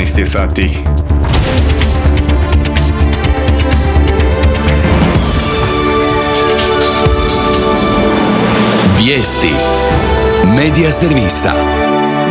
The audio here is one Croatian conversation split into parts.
13 je sati. Vijesti Medija servisa.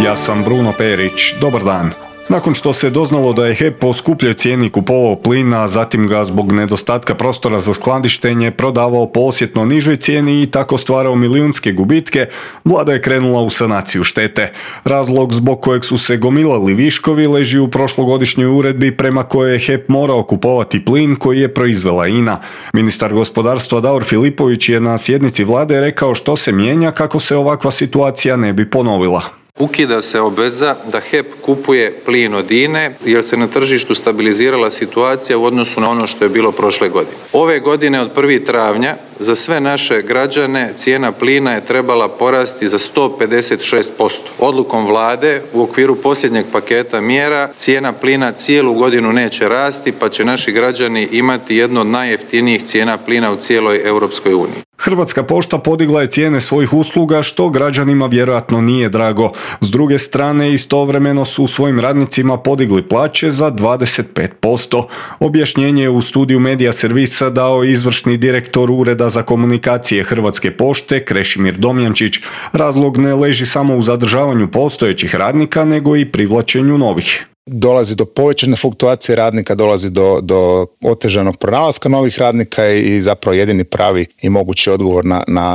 Ja sam Bruno Perić. Dobar dan. Nakon što se doznalo da je HEP po skupljoj cijeni kupovao plin, a zatim ga zbog nedostatka prostora za skladištenje prodavao po osjetno nižoj cijeni i tako stvarao milijunske gubitke, vlada je krenula u sanaciju štete. Razlog zbog kojeg su se gomilali viškovi leži u prošlogodišnjoj uredbi prema kojoj je HEP morao kupovati plin koji je proizvela INA. Ministar gospodarstva Davor Filipović je na sjednici vlade rekao što se mijenja kako se ovakva situacija ne bi ponovila. Ukida se obveza da HEP kupuje plin od INA-e jer se na tržištu stabilizirala situacija u odnosu na ono što je bilo prošle godine. Ove godine od 1. travnja za sve naše građane cijena plina je trebala porasti za 156%. Odlukom vlade u okviru posljednjeg paketa mjera cijena plina cijelu godinu neće rasti, pa će naši građani imati jednu od najjeftinijih cijena plina u cijeloj Europskoj uniji. Hrvatska pošta podigla je cijene svojih usluga što građanima vjerojatno nije drago. S druge strane, istovremeno su svojim radnicima podigli plaće za 25%. Objašnjenje je u studiju Medija servisa dao izvršni direktor Ureda za komunikacije Hrvatske pošte Krešimir Domjančić. Razlog ne leži samo u zadržavanju postojećih radnika, nego i privlačenju novih. Dolazi do povećane fluktuacije radnika, dolazi do otežanog pronalaska novih radnika i zapravo jedini pravi i mogući odgovor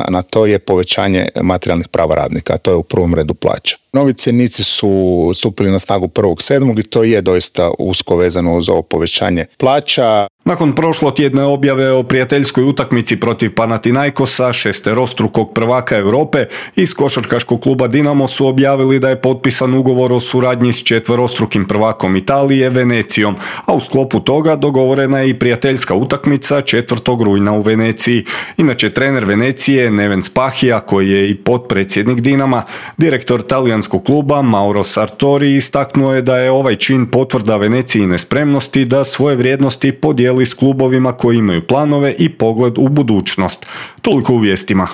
na to je povećanje materijalnih prava radnika, a to je u prvom redu plaća. Novi cjenici su stupili na snagu 1.7. i to je doista usko vezano uz ovo povećanje plaća. Nakon prošlotjedne objave o prijateljskoj utakmici protiv Panathinaikosa, šesterostrukog prvaka Europe, iz košarkaškog kluba Dinamo su objavili da je potpisan ugovor o suradnji s četverostrukim prvakom Italije, Venecijom, a u sklopu toga dogovorena je i prijateljska utakmica 4. rujna u Veneciji. Inače, trener Venecije Neven Spahija, koji je i potpredsjednik Dinama, direktor talijanskog kluba Mauro Sartori istaknuo je da je ovaj čin potvrda Venecijine spremnosti da svoje vrijednosti podijeli s klubovima koji imaju planove i pogled u budućnost. Toliko u vijestima.